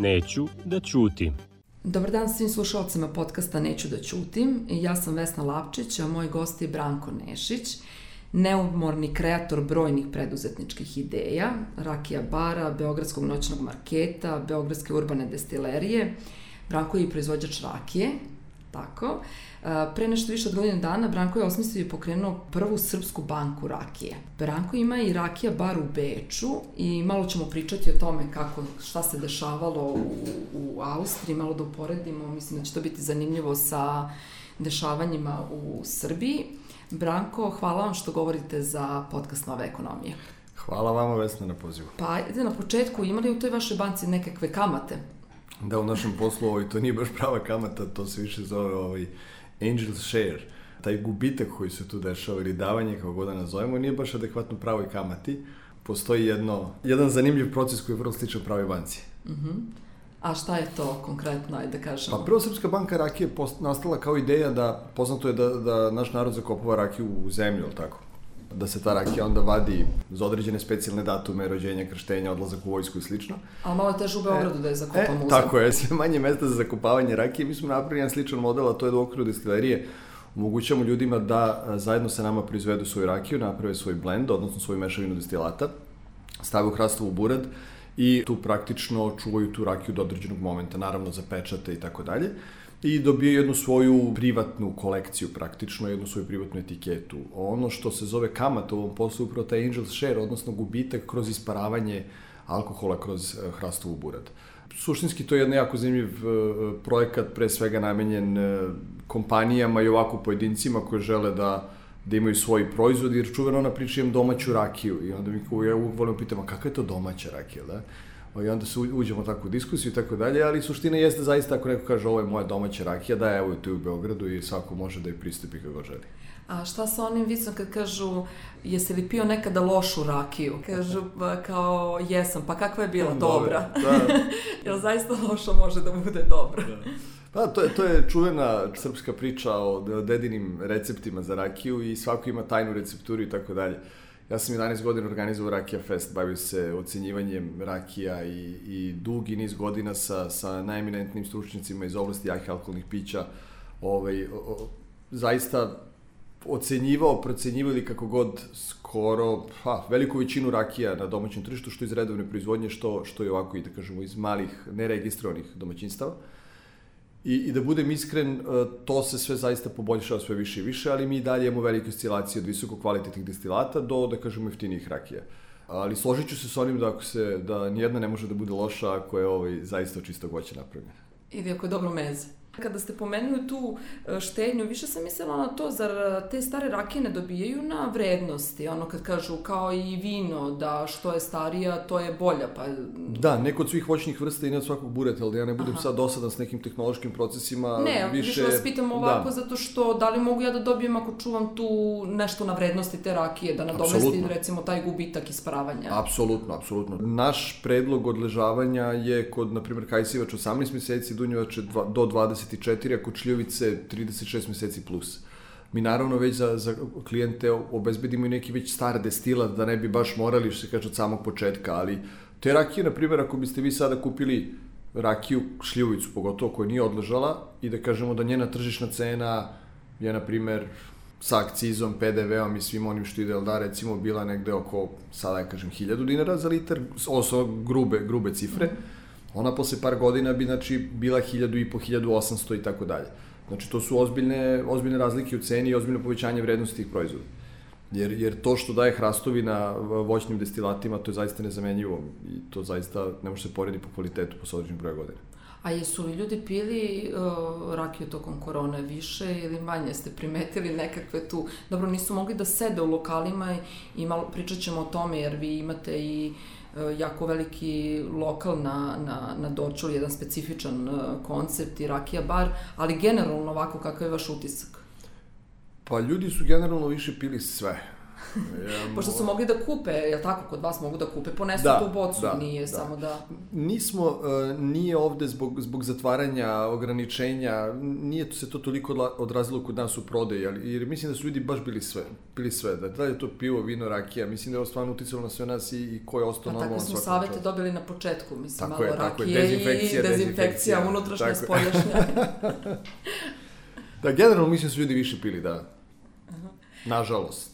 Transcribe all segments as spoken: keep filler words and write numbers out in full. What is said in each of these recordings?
Neću da ćutim. Dobar dan svim slušalcima podcasta Neću da ćutim. Ja sam Vesna Lapčić, a moj gost je Branko Nešić, neumorni kreator brojnih preduzetničkih ideja, rakija bara, beogradskog noćnog marketa, beogradske urbane destilerije. Branko je i proizvođač rakije, tako. Pre nešto više od godine dana Branko je osmislio i pokrenuo prvu srpsku banku rakije. Branko ima i rakija bar u Beču i malo ćemo pričati o tome kako, šta se dešavalo u, u Austriji, malo da uporedimo, mislim da će to biti zanimljivo sa dešavanjima u Srbiji. Branko, hvala vam što govorite za podcast Nove ekonomije. Hvala vama, Vesna, na pozivu. Pa, ajde na početku, imali u toj vašoj banci nekakve kamate? Da, u našem poslu ovaj, to nije baš prava kamata, to se više zove ovaj, angel share. Taj gubitak koji se tu dešava ili davanje, kako god da nazovemo, nije baš adekvatno pravoj kamati. Postoji jedno, jedan zanimljiv proces koji je vrlo sličan pravoj banci. Uh-huh. A šta je to konkretno, ajde da kažemo? Pa prvo Srpska banka rakije je nastala kao ideja da, poznato je da, da naš narod zakopava rakiju u zemlju, ali tako? Da se ta rakija onda vadi za određene specijalne datume, rođenja, krštenja, odlazak u vojsku i slično. Ali malo je teže u Beogradu da je zakopamo e, u zemlju. Tako je, sve manje mesta za zakopavanje rakije. Mi smo napravili jedan sličan model, a to je da u okviru destilerije omogućavamo ljudima da zajedno sa nama proizvedu svoju rakiju, naprave svoj blend, odnosno svoju mešavinu destilata, stave u hrastovu burad i tu praktično čuvaju tu rakiju do određenog momenta, naravno za pečate i tako dalje. I dobije jednu svoju privatnu kolekciju praktično, jednu svoju privatnu etiketu. Ono što se zove kamat u ovom poslu, upravo taj angel share, odnosno gubitak kroz isparavanje alkohola kroz hrastovu burad. Suštinski to je jedan jako zanimljiv projekat, pre svega namenjen kompanijama i ovako pojedincima koji žele da da imaju svoj proizvod, jer čuveno ona priča imam domaću rakiju i onda mi ja uvijek volim pitam, a kakva je to domaća rakija, da? I onda se uđemo tako u diskusiju i tako dalje, ali suština jeste zaista ako neko kaže ovo je moja domaća rakija, da evo je tu u Beogradu i svako može da je pristupi kako želi. A šta sa onim vicom kad kažu, jesi li pio nekada lošu rakiju? Kažu kao jesam, pa kakva je bila? Dobra. Da. Jel zaista loša može da bude dobra? Da. Pa, to je, to je čuvena srpska priča o dedinim receptima za rakiju i svako ima tajnu recepturu i tako dalje. Ja sam jedanaest godina organizovao Rakija Fest, bavio se ocenjivanjem rakija i, i dugi niz godina sa, sa najeminentnim stručnjacima iz oblasti jakih alkoholnih pića. Ovaj, o, o, zaista ocenjivao, procenjivao ili kako god skoro ha, veliku većinu rakija na domaćem tržištu, što iz redovne proizvodnje, što, što je ovako i da kažemo iz malih, neregistrovanih domaćinstava. I, I da budem iskren, to se sve zaista poboljšava sve više i više, ali mi i dalje imamo velike oscilacije od visoko kvalitetnih destilata do, da kažemo, jeftinijih rakija. Ali složit ću se s onim da, ako se, da nijedna ne može da bude loša ako je ovaj, zaista od čistog voća napravljena. Ili ako je dobro meze. Kada ste pomenuli tu štednju, više sam mislila na to, zar te stare rakije ne dobijaju na vrednosti? Ono kad kažu kao i vino, da što je starija, to je bolja. Pa... Da, neko od svih voćnih vrsta i ne od svakog bureta, ali ja ne budem Aha. sad dosadan s nekim tehnološkim procesima. Ne, više, više vas pitam ovako, da. Zato što da li mogu ja da dobijem ako čuvam tu nešto na vrednosti te rakije, da nadomesti recimo taj gubitak isparavanja? Apsolutno, apsolutno. Naš predlog odležavanja je kod, na primjer, kajsivač osamnaest meseci, dunjevač do dvadeset četiri, a kod šljivovice trideset šest meseci plus. Mi naravno već za, za klijente obezbedimo i neki već star destilat, da ne bi baš morali, što se kaže, od samog početka, ali te rakije, na primjer, ako biste vi sada kupili rakiju, šljivovicu pogotovo, koja nije odležala i da kažemo da njena tržišna cena je, na primjer, sa akcizom, pe de veom i svim onim što ide, da recimo bila negde oko, sada ja kažem, hiljadu dinara za litar, ovo grube, grube cifre, ona posle par godina bi, znači, bila hiljadu i po, hiljadu osamsto i tako dalje. Znači, to su ozbiljne, ozbiljne razlike u ceni i ozbiljno povećanje vrednosti tih proizvoda. Jer, jer to što daje hrastovi na voćnim destilatima, to je zaista nezamenjivo i to zaista ne može se porediti po kvalitetu po određenim broja godina. A jesu li ljudi pili uh, rakiju tokom korone više ili manje? Ste primetili nekakve tu... Dobro, nisu mogli da sede u lokalima i, i malo pričat ćemo o tome, jer vi imate i jako veliki lokal na, na, na Dorčolu, jedan specifičan koncept i rakija bar, ali generalno ovako kakav je vaš utisak? Pa ljudi su generalno više pili sve. Ja, Pošto su mogli da kupe, je tako, kod vas mogu da kupe, ponesu da, tu bocu, da, nije da. samo da... Nismo, uh, nije ovde zbog, zbog zatvaranja, ograničenja, nije se to toliko odrazilo kod nas u prodaji, ali, jer mislim da su ljudi baš bili sve, bili sve, da, da je to pivo, vino, rakija, mislim da je ovo stvarno uticalo na sve nas i, i ko je ostao normalno. Pa tako smo savete dobili na početku, mislim, tako malo je, rakije je, dezinfekcija, i dezinfekcija, unutrašnja, tako. Spoljašnja. Da, generalno mislim da su ljudi više pili, da. Aha. Nažalost.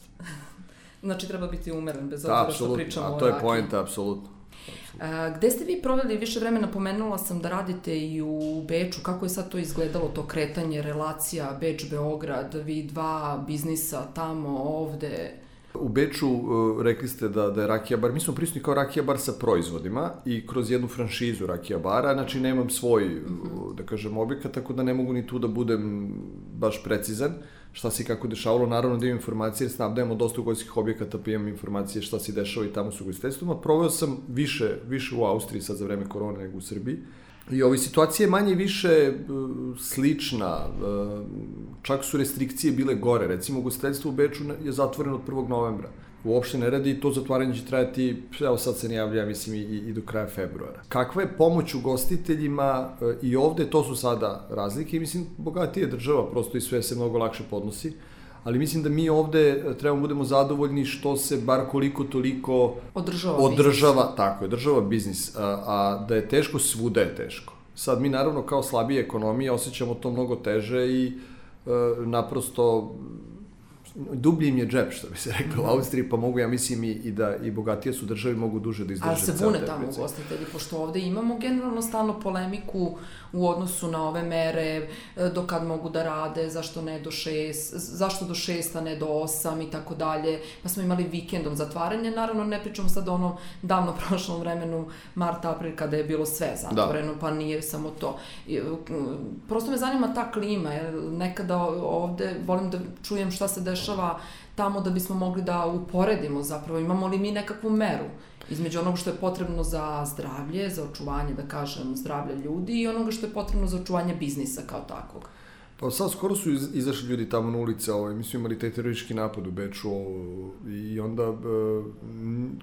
Znači, treba biti umeren, bez obzira što pričamo o rakiji. A to je poenta, apsolutno. A, gde ste vi proveli više vremena? Pomenula sam da radite i u Beču. Kako je sad to izgledalo, to kretanje, relacija Beč-Beograd, vi dva biznisa tamo, ovde? U Beču uh, rekli ste da, da je Rakija bar, mi smo prisutni kao Rakija bar sa proizvodima i kroz jednu franšizu Rakija bara, znači nemam svoj, mm-hmm. da kažem, objekat, tako da ne mogu ni tu da budem baš precizan šta se i kako dešavalo. Naravno da imam informacije, jer snabdajemo dosta ugostiteljskih objekata, pa imam informacije šta se dešava i tamo su ugostiteljstvima. Proveo sam više, više u Austriji sad za vreme korone nego u Srbiji. I ova situacija je manje i više uh, slična, uh, čak su restrikcije bile gore, recimo ugostiteljstvo u Beču je zatvoreno od prvog novembra. Uopšte ne radi i to zatvaranje će trajati, evo sad se ne javlja, mislim, i, i do kraja februara. Kakva je pomoć ugostiteljima uh, i ovde, to su sada razlike i mislim, bogatija je država, prosto i sve se mnogo lakše podnosi. Ali mislim da mi ovde trebamo budemo zadovoljni što se bar koliko toliko održava, održava biznis. Tako je, država biznis, a, a da je teško, svuda je teško. Sad mi naravno kao slabije ekonomije osjećamo to mnogo teže i a, naprosto dublji im je džep, što bi se rekao, u Austriji, pa mogu, ja mislim, i, i da i bogatije su države mogu duže da izdrže. Ali se bune tamo ugostitelji, pošto ovde imamo generalno stalno polemiku u odnosu na ove mere, do kad mogu da rade, zašto ne do šest, zašto do šest, a ne do osam i tako dalje. Pa smo imali vikendom zatvaranje, naravno ne pričamo sad o onom davno prošlom vremenu, mart, april, kada je bilo sve zatvoreno, da. Pa nije samo to. Prosto me zanima ta klima, jer nekada ovde volim da čujem šta se dešava tamo da bismo mogli da uporedimo zapravo, imamo li mi nekakvu meru između onoga što je potrebno za zdravlje, za očuvanje, da kažem, zdravlja ljudi i onoga što je potrebno za očuvanje biznisa kao takvog. Pa sad skoro su iz, izašli ljudi tamo na ulice, ovaj, mi smo imali taj teroristički napad u Beču i onda, e,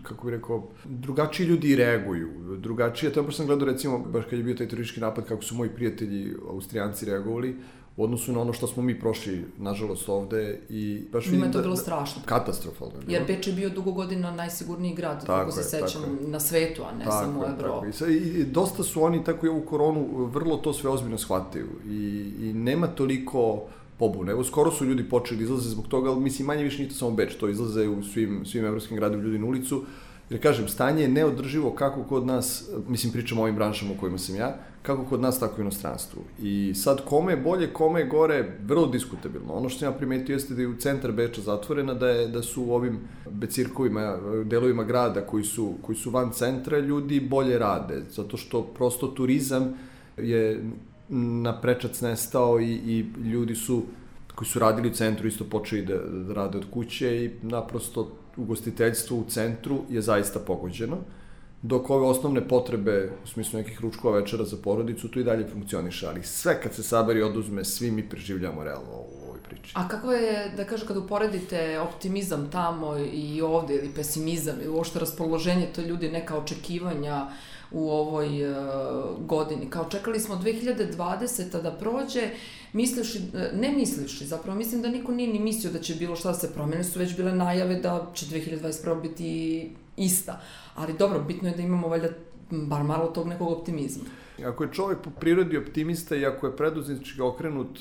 kako bih rekao, drugačiji ljudi reaguju, drugačije, to je baš sam gledao recimo, baš kad je bio taj teroristički napad, kako su moji prijatelji Austrijanci reagovali, u odnosu na ono što smo mi prošli, nažalost, ovde i baš vidim da... to bilo da, strašno. Katastrofalno. Jer Beč je bio dugo godina najsigurniji grad, tako se sećam, na svetu, a ne tako samo u Evropi. I, I dosta su oni, tako i ovu koronu, vrlo to sve ozbiljno shvataju i, i nema toliko pobune. Evo, skoro su ljudi počeli izlaze zbog toga, ali mislim, manje više nije to samo Beč, to izlaze u svim, svim evropskim gradima ljudi na ulicu. Jer kažem, stanje je neodrživo kako kod nas, mislim pričamo o ovim branšama u kojima sam ja, kako kod nas, tako i u inostranstvu. I sad kome je bolje, kome je gore, vrlo diskutabilno. Ono što sam ja primetio jeste da je u centar Beča zatvorena, da, je, da su u ovim becirkovima, delovima grada koji su, koji su van centra, ljudi bolje rade. Zato što prosto turizam je na prečac nestao i, i ljudi su, koji su radili u centru, isto počeli da, da rade od kuće i naprosto ugostiteljstvo u centru je zaista pogođeno, dok ove osnovne potrebe, u smislu nekih ručkova, večera za porodicu, tu i dalje funkcioniše, ali sve kad se saberi oduzme, svi mi preživljamo realno u ovoj priči. A kako je, da kažem, kad uporedite optimizam tamo i ovde, ili pesimizam, ili uopšte raspoloženje, to ljudi neka očekivanja u ovoj uh, godini. Kao čekali smo dve hiljade dvadeseta da prođe, mislivši, ne mislivši, zapravo mislim da niko nije ni mislio da će bilo šta da se promene, su već bile najave da će dve hiljade dvadeset prva biti ista. Ali dobro, bitno je da imamo valjda bar malo tog nekog optimizma. Ako je čovjek po prirodi optimista i ako je preduzetnički okrenut,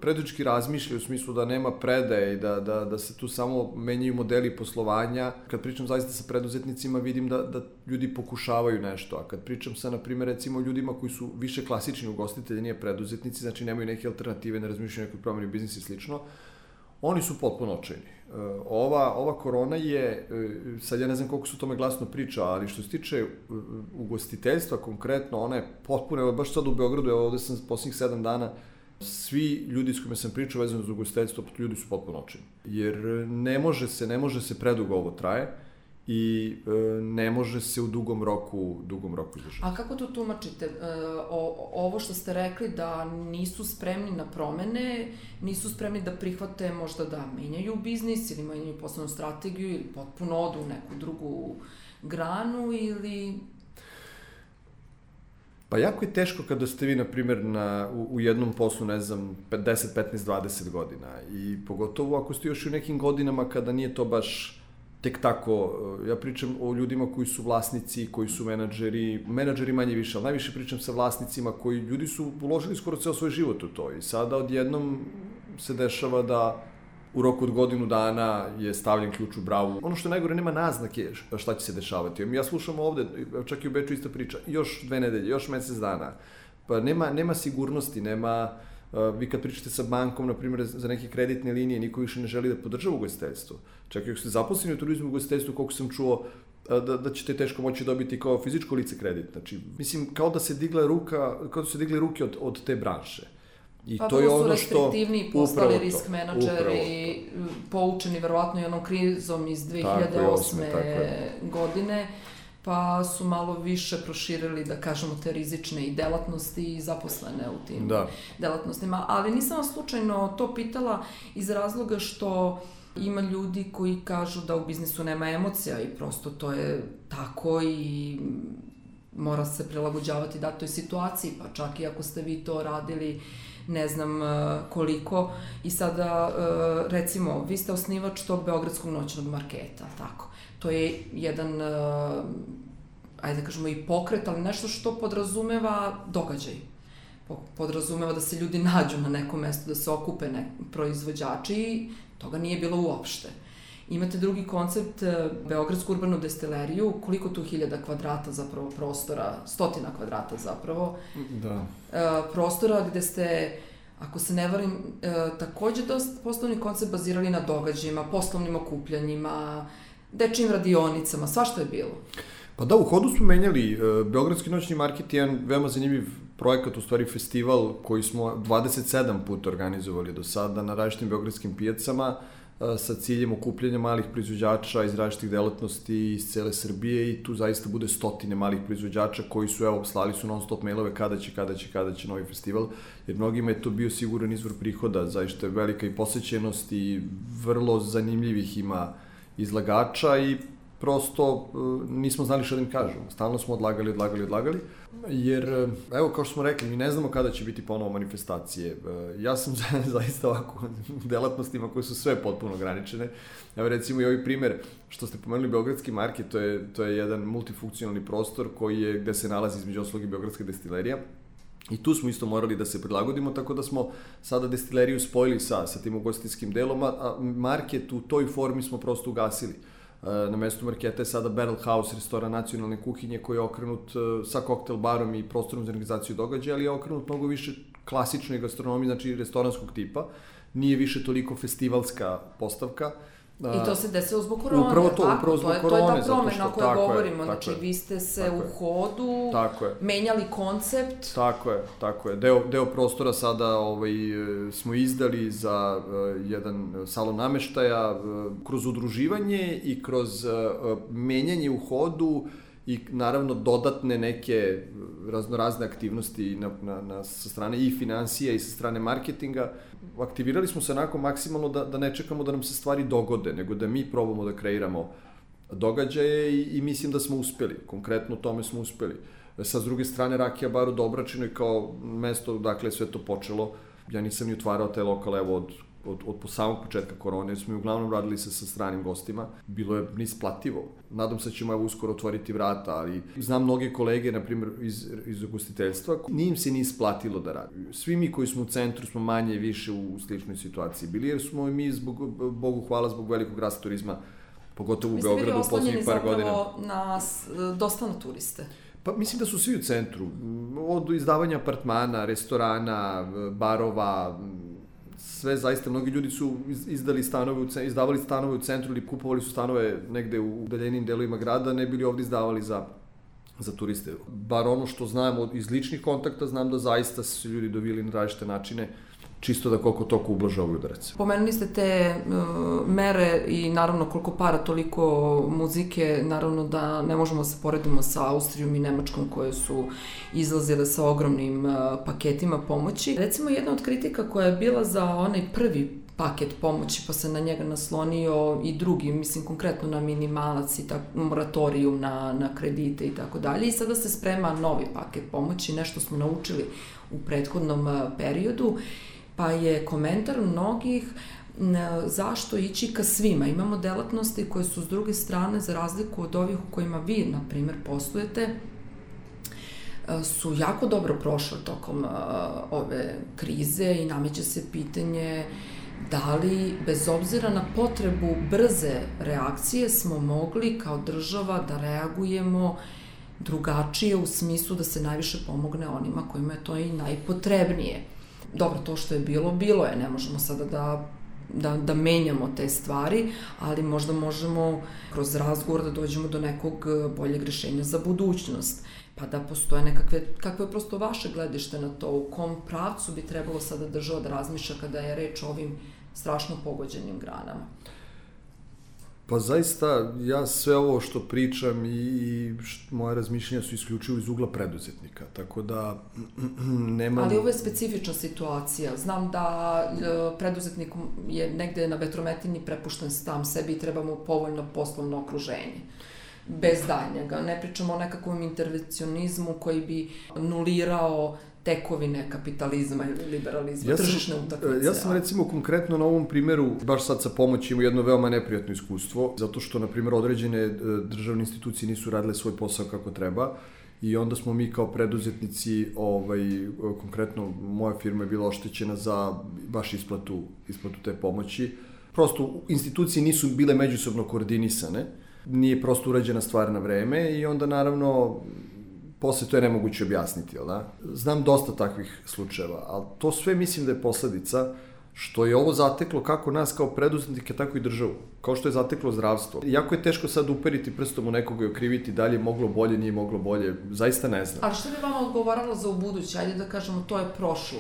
preduzetnički razmišlja u smislu da nema predaje i da, da, da se tu samo menjaju modeli poslovanja, kad pričam zaista sa preduzetnicima vidim da, da ljudi pokušavaju nešto, a kad pričam sa, na primjer, recimo ljudima koji su više klasični ugostitelji, nije preduzetnici, znači nemaju neke alternative, ne razmišljaju nekoj promeni biznisa i slično, oni su potpuno očajni. Ova, ova korona je, sad ja ne znam koliko su o tome glasno priča, ali što se tiče ugostiteljstva konkretno, ona je potpuno, evo baš sad u Beogradu, evo ovde sam posljednjih sedam dana, svi ljudi s kojima sam pričao vezano za ugostiteljstvo, ljudi su potpuno očajni. Jer ne može se, ne može se predugo ovo traje i e, ne može se u dugom roku, dugom roku izdržati. A kako to tumačite? E, o, ovo što ste rekli da nisu spremni na promene, nisu spremni da prihvate možda da menjaju biznis ili menjaju poslovnu strategiju ili potpuno odu u neku drugu granu ili... Pa jako je teško kada ste vi, na primjer, na, u, u jednom poslu, ne znam, deset, petnaest, dvadeset godina i pogotovo ako ste još u nekim godinama kada nije to baš tek tako, ja pričam o ljudima koji su vlasnici, koji su menadžeri, menadžeri manje više, ali najviše pričam sa vlasnicima koji ljudi su uložili skoro ceo svoj život u to i sada odjednom se dešava da u roku od godinu dana je stavljen ključ u bravu. Ono što je najgore, nema naznake šta će se dešavati. Ja slušam ovde, čak i u Beču ista priča, još dve nedelje, još mesec dana. Pa nema, nema sigurnosti, nema... Vi kad pričate sa bankom, na primjer, za neke kreditne linije, niko više ne želi da podržava ugostiteljstvo. Čak i ako ste zaposleni u turizmu i ugostiteljstvu, koliko sam čuo, da, da ćete teško moći dobiti kao fizičko lice kredit. Znači, mislim, kao da se digla ruka, kao da se digli ruke od, od te branše. I pa to je ono su restriktivni, postali risk to, menadžeri, poučeni verovatno i onom krizom iz dve hiljade osme godine, pa su malo više proširili, da kažemo, te rizične i delatnosti i zaposlene u tim da. delatnostima. Ali nisam vas slučajno to pitala iz razloga što ima ljudi koji kažu da u biznisu nema emocija i prosto to je tako i mora se prilagođavati datoj situaciji, pa čak i ako ste vi to radili ne znam koliko. I sada, recimo, vi ste osnivač tog Beogradskog noćnog marketa, tako. To je jedan, ajde da kažemo, i pokret, ali nešto što podrazumeva događaj. Podrazumeva da se ljudi nađu na nekom mestu, da se okupe ne, proizvođači i toga nije bilo uopšte. Imate drugi koncept, Beogradsku urbanu destileriju, koliko tu hiljada kvadrata zapravo prostora, stotina kvadrata zapravo, da. prostora gde ste, ako se ne varim, takođe dosta poslovni koncept bazirali na događajima, poslovnim okupljanjima, dečijim radionicama, svašta je bilo. Pa da, u hodu smo menjali. Beogradski noćni market je jedan veoma zanimljiv projekat, u stvari festival koji smo dvadeset sedam puta organizovali do sada na različitim beogradskim pijacama sa ciljem okupljanja malih proizvođača iz različitih delatnosti iz cele Srbije i tu zaista bude stotine malih proizvođača koji su, evo, slali su non stop mailove kada će, kada će, kada će novi festival, jer mnogima je to bio siguran izvor prihoda, zaista je velika i posećenost i vrlo zanimljivih ima izlagača i prosto nismo znali što da im kažemo. Stalno smo odlagali, odlagali, odlagali, jer, evo, kao što smo rekli, mi ne znamo kada će biti ponovo manifestacije. Ja sam zaista ovako u delatnostima koje su sve potpuno ograničene. Evo, recimo i ovaj primer što ste pomenuli, Beogradski market, to je, to je jedan multifunkcionalni prostor koji je, gde se nalazi između ostalog i Beogradska destilerija. I tu smo isto morali da se prilagodimo, tako da smo sada destileriju spojili sa, sa tim ugostiteljskim delom, a market u toj formi smo prosto ugasili. Na mestu marketa je sada Barrel House, restoran nacionalne kuhinje koji je okrenut sa koktel barom i prostorom za organizaciju događaja, ali je okrenut mnogo više klasičnoj gastronomiji, znači restoranskog tipa. Nije više toliko festivalska postavka. I to se desilo zbog korone, upravo to, tako? Upravo zbog to je, korone, to je ta promena o kojoj govorimo, je, znači je, vi ste se tako u hodu je. menjali koncept. Tako je, tako je. Deo, deo prostora sada ovaj, smo izdali za uh, jedan salon nameštaja uh, kroz udruživanje i kroz uh, menjanje u hodu i naravno dodatne neke raznorazne aktivnosti na, na, na, sa strane i financija i sa strane marketinga. Aktivirali smo se onako maksimalno da, da ne čekamo da nam se stvari dogode, nego da mi probamo da kreiramo događaje i, i mislim da smo uspeli. Konkretno tome smo uspeli. Sa s druge strane, Rakija bar u Dobračinoj kao mesto, dakle, sve to počelo. Ja nisam ni otvarao taj lokal, evo, od, od, od po samog početka korone, jer smo uglavnom radili se sa stranim gostima. Bilo je neisplativo. Nadam se da ćemo evo uskoro otvoriti vrata, ali znam mnoge kolege, na primjer, iz, iz ugostiteljstva, nije im se ni isplatilo da radi. Svi mi koji smo u centru smo manje i više u sličnoj situaciji bili, jer smo i mi, zbog, Bogu hvala, zbog velikog rasta turizma, pogotovo u Beogradu u poslednjih par godina. Mi ste bili oslonjeni zapravo na, dosta na turiste. Pa mislim da su svi u centru. Od izdavanja apartmana, restorana, barova, sve zaista, mnogi ljudi su izdali stanove, izdavali stanove u centru ili kupovali su stanove negde u udaljenim delovima grada, ne bili ovde izdavali za, za turiste. Bar ono što znam iz ličnih kontakta, znam da zaista su ljudi dovili na različite načine čisto da koliko toliko ublaže ovaj udarac. Pomenuli ste te uh, mere i naravno koliko para, toliko muzike, naravno da ne možemo se poredimo sa Austrijom i Nemačkom koje su izlazile sa ogromnim uh, paketima pomoći. Recimo jedna od kritika koja je bila za onaj prvi paket pomoći, pa se na njega naslonio i drugi, mislim konkretno na minimalac i tak, moratorijum na, na kredite i tako dalje. I sada se sprema novi paket pomoći, nešto smo naučili u prethodnom uh, periodu. Pa je komentar mnogih zašto ići ka svima. Imamo delatnosti koje su s druge strane, za razliku od ovih u kojima vi, na primjer, poslujete, su jako dobro prošle tokom ove krize i nameće se pitanje da li, bez obzira na potrebu brze reakcije, smo mogli kao država da reagujemo drugačije u smislu da se najviše pomogne onima kojima je to i najpotrebnije. Dobro, to što je bilo, bilo je, ne možemo sada da, da, da menjamo te stvari, ali možda možemo kroz razgovor da dođemo do nekog boljeg rešenja za budućnost, pa da postoje nekakve, kakvo je prosto vaše gledište na to, u kom pravcu bi trebalo sada država da razmišlja kada je reč o ovim strašno pogođenim granama? Pa zaista, ja sve ovo što pričam i, i moje razmišljenja su isključivo iz ugla preduzetnika, tako da nemam... Ali ovo je specifična situacija. Znam da e, preduzetnik je negde na vetrometini prepušten sam sebi i treba mu povoljno poslovno okruženje. Bez daljnjega. Ne pričamo o nekakvom intervencionizmu koji bi nulirao tekovine kapitalizma ili liberalizma, ja sam, tržišne utakmice. Ja sam recimo konkretno na ovom primjeru, baš sad sa pomoći, imao jedno veoma neprijatno iskustvo, zato što, na primjer, određene državne institucije nisu radile svoj posao kako treba i onda smo mi kao preduzetnici, ovaj, konkretno moja firma je bila oštećena za baš isplatu, isplatu te pomoći. Prosto institucije nisu bile međusobno koordinisane, nije prosto urađena stvar na vreme i onda naravno posle to je nemoguće objasniti, jel da? Znam dosta takvih slučajeva, ali to sve mislim da je posledica što je ovo zateklo kako nas kao preduzetnike, tako i državu. Kao što je zateklo zdravstvo. Jako je teško sad uperiti prstom u nekoga i okriviti da li je moglo bolje, nije moglo bolje, zaista ne znam. Ali što bi vama odgovaralo za ubuduće? Ajde da kažemo, to je prošlo.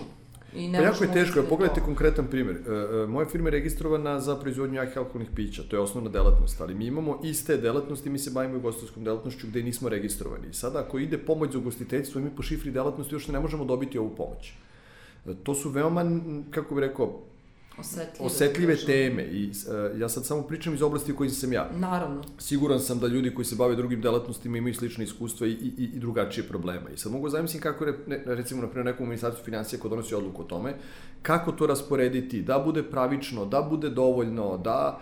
I ne pa jako je teško, pogledajte konkretan primjer. Moja firma je registrovana za proizvodnju jakih alkoholnih pića, to je osnovna delatnost, ali mi imamo iste delatnosti, mi se bavimo ugostiteljskom delatnošću gde nismo registrovani. I sada ako ide pomoć za ugostiteljstvo, mi po šifri delatnosti još ne možemo dobiti ovu pomoć. To su veoma, kako bih rekao, osetljive, osetljive teme i uh, ja sad samo pričam iz oblasti u kojoj sam ja. Naravno. Siguran sam da ljudi koji se bave drugim delatnostima imaju slične iskustva i, i, i drugačije problema. I sad mogu zamislim kako je, ne, recimo, na primjer, nekom ministarstvu financija ko donosi odluku o tome, kako to rasporediti, da bude pravično, da bude dovoljno, da...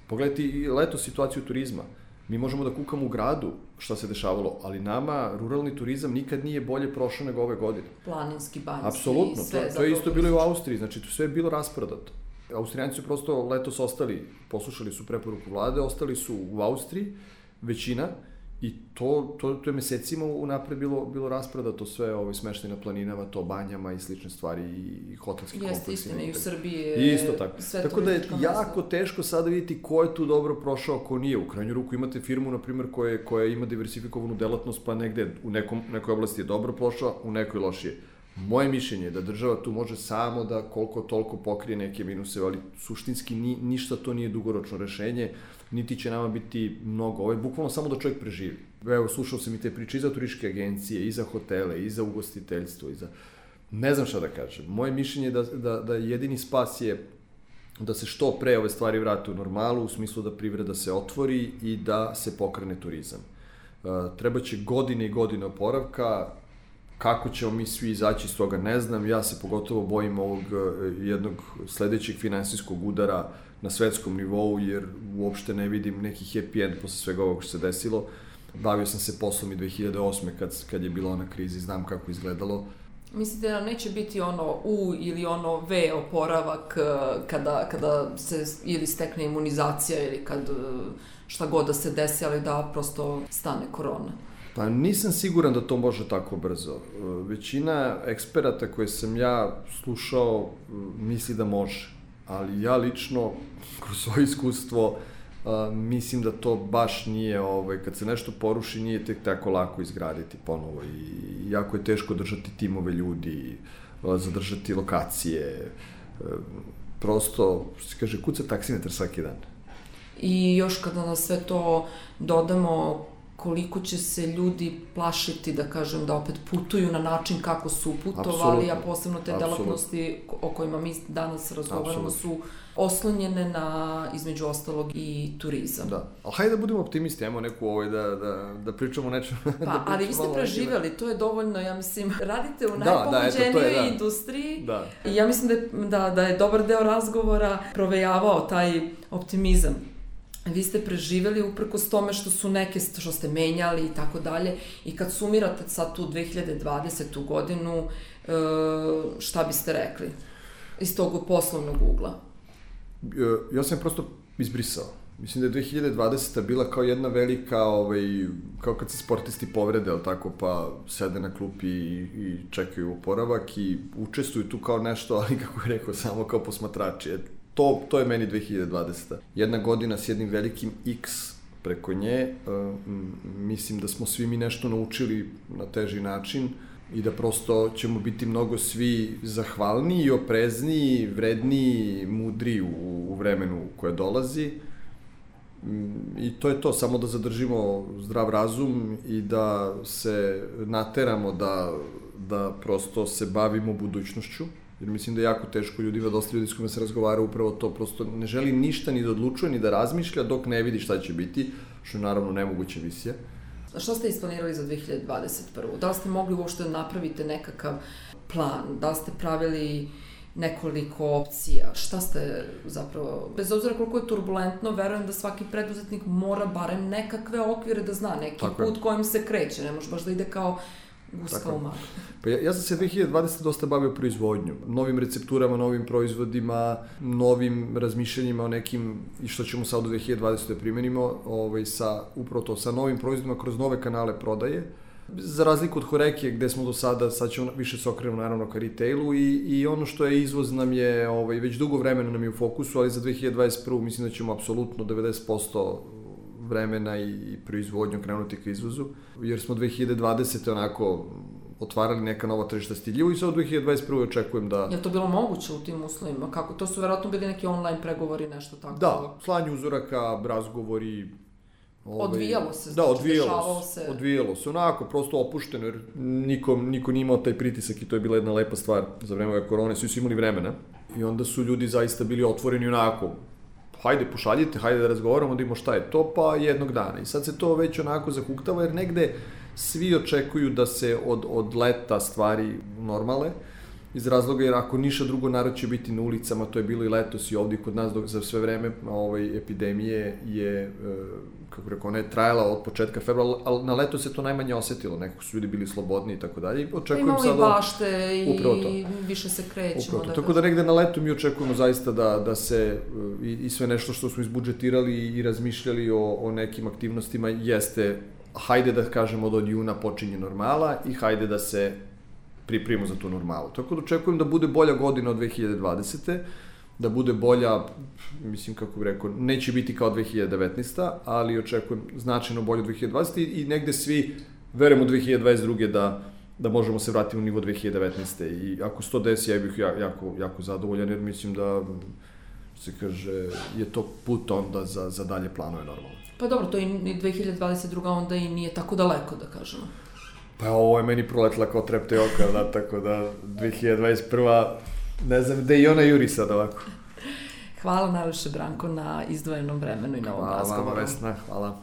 Pogledajte leto situaciju turizma. Mi možemo da kukamo u gradu šta se dešavalo, ali nama ruralni turizam nikad nije bolje prošao nego ove godine. Planinski, banjski, apsolutno, sve. To, to je isto bilo i u Austriji, znači to sve je bilo rasprodato. Austrijanci su prosto letos ostali, poslušali su preporuku vlade, ostali su u Austriji, većina, i to, to, to je mesecima unapred bilo, bilo rasprodato sve ovaj, smeštaj na planinama, to banjama i slične stvari i hotelski kompleksi. Jeste istina, i u Srbiji je isto tako. Sve tako da je jako teško sada vidjeti ko je tu dobro prošao, ko nije. U krajnju ruku imate firmu, na primjer, koja, koja ima diversifikovanu delatnost, pa negde u nekom, nekoj oblasti je dobro prošao, u nekoj lošije. Moje mišljenje je da država tu može samo da koliko toliko pokrije neke minuse, ali suštinski ni, ništa to nije dugoročno rešenje, niti će nama biti mnogo. Ovo je bukvalno samo da čovjek preživi. Evo, slušao sam i te priče i za turističke agencije, i za hotele, i za ugostiteljstvo, i za... Ne znam šta da kažem. Moje mišljenje je da, da, da jedini spas je da se što pre ove stvari vrate u normalu, u smislu da privreda se otvori i da se pokrene turizam. Uh, treba će godine i godine oporavka. Kako ćemo mi svi izaći iz toga, ne znam. Ja se pogotovo bojim ovog jednog sledećeg finansijskog udara na svetskom nivou, jer uopšte ne vidim neki happy end posle svega ovog što se desilo. Bavio sam se poslom i dve hiljade osme kad, kad je bila ona kriza i znam kako izgledalo. Mislite da neće biti ono U ili ono V oporavak kada, kada se ili stekne imunizacija ili kad šta god da se desi, ali da prosto stane korona? Pa nisam siguran da to može tako brzo. Većina eksperata koje sam ja slušao misli da može, ali ja lično, kroz svoje iskustvo, mislim da to baš nije, ovaj, kad se nešto poruši, nije tek tako lako izgraditi ponovo i jako je teško držati timove ljudi, zadržati lokacije, prosto, što se kaže, kuca taksimetar svaki dan. I još kada na sve to dodamo koliko će se ljudi plašiti, da kažem, da opet putuju na način kako su putovali, a posebno te delatnosti o kojima mi danas razgovaramo su oslonjene na, između ostalog, i turizam. Da, ali hajde da budemo optimisti, ajmo neku ovaj da, da, da pričamo nečem. Pa, da ali vi ste preživjeli, to je dovoljno, ja mislim, radite u najpogođenijoj da, da, industriji da. I ja mislim da je, da, da je dobar deo razgovora provejavao taj optimizam. Vi ste preživeli uprkos tome što su neke, što ste menjali i tako dalje, i kad sumirate sad tu dve hiljade dvadesetu godinu, šta biste rekli iz tog poslovnog ugla? Ja sam prosto izbrisao. Mislim da je dve hiljade dvadeseta bila kao jedna velika, ovaj, kao kad se sportisti povrede, ali tako, pa sede na klupi i, i čekaju oporavak i učestvuju tu kao nešto, ali kako je rekao, samo kao posmatrači. To, to je meni dve hiljade dvadeseta. Jedna godina s jednim velikim X preko nje. Uh, mislim da smo svi mi nešto naučili na teži način i da prosto ćemo biti mnogo svi zahvalniji, oprezniji, vredniji, mudriji u, u vremenu koje dolazi. I to je to, samo da zadržimo zdrav razum i da se nateramo da, da prosto se bavimo budućnošću. Jer mislim da je jako teško ljudima, dosta ljudi s kojima se razgovara upravo to, prosto ne želi ništa ni da odlučuje, ni da razmišlja dok ne vidi šta će biti, što je naravno nemoguća misija. A šta ste isplanirali za dve hiljade dvadeset prvu? Da li ste mogli uopšte da napravite nekakav plan? Da li ste pravili nekoliko opcija? Šta ste zapravo, bez obzira koliko je turbulentno, verujem da svaki preduzetnik mora barem nekakve okvire da zna, neki Tako put je. Kojim se kreće, ne može baš da ide kao guska u maglu. Pa ja, ja sam se dve hiljade dvadesete dosta bavio proizvodnjom, novim recepturama, novim proizvodima, novim razmišljanjima o nekim, i što ćemo sad u dve hiljade dvadesete primenimo, ovaj, sa, upravo to, sa novim proizvodima kroz nove kanale prodaje. Za razliku od Horekije, gde smo do sada, sad ćemo više se okrenemo naravno ka retailu i, i ono što je izvoz nam je, ovaj, već dugo vremena nam je u fokusu, ali za dve hiljade dvadeset prvu mislim da ćemo apsolutno devedeset posto vremena i proizvodnju krenuti ka izvozu, jer smo dve hiljade dvadesete onako otvarali neka nova tržišta stiljivu i sad u dve hiljade dvadeset prve očekujem da... Je to bilo moguće u tim uslovima? Kako? To su verovatno bili neki online pregovori, nešto tako? Da, slanje uzoraka, razgovori... Ovaj, odvijalo se, znači, da, odvijalo dešavalo se. Odvijalo se, onako, prosto opušteno, jer niko, niko nije imao taj pritisak i to je bila jedna lepa stvar za vreme ove korone, svi su imali vremena i onda su ljudi zaista bili otvoreni onako, hajde pošaljite, hajde da razgovaramo, da imamo šta je to, pa jednog dana. I sad se to već onako zahuktava, jer negde svi očekuju da se od, od leta stvari normale, iz razloga jer ako ništa drugo, narod će biti na ulicama, to je bilo i letos i ovdje kod nas dok za sve vreme ovaj, epidemije je, kako rekao, ona je trajala od početka februara, ali na leto se to najmanje osetilo, nekako su ljudi bili slobodni i tako dalje. Imamo i bašte i više se krećemo. Da tako da negde na leto mi očekujemo zaista da, da se i, i sve nešto što smo izbudžetirali i razmišljali o, o nekim aktivnostima jeste, hajde da kažemo da od juna počinje normala i hajde da se pripremimo za tu normalu. Tako da očekujem da bude bolja godina od dve hiljade dvadesete, da bude bolja, mislim kako bih rekao, neće biti kao dve hiljade devetnaesta, ali očekujem značajno bolje od dve hiljade dvadesete i negde svi verujemo dve hiljade dvadeset druge da, da možemo se vratiti u nivo dve hiljade devetnaeste. I ako se to desi, ja bih jako, jako zadovoljan, jer mislim da se kaže, je to put onda za, za dalje planove normalno. Pa dobro, to i dve hiljade dvadeset druga onda i nije tako daleko, da kažemo. Pa ovo je meni proletla kao trepte oka, da, tako da dve hiljade dvadeset prva ne znam gde i ona juri sad ovako. Hvala najviše, Branko, na izdvojenom vremenu i na ovom razgovoru. Hvala vam, Vesna, hvala.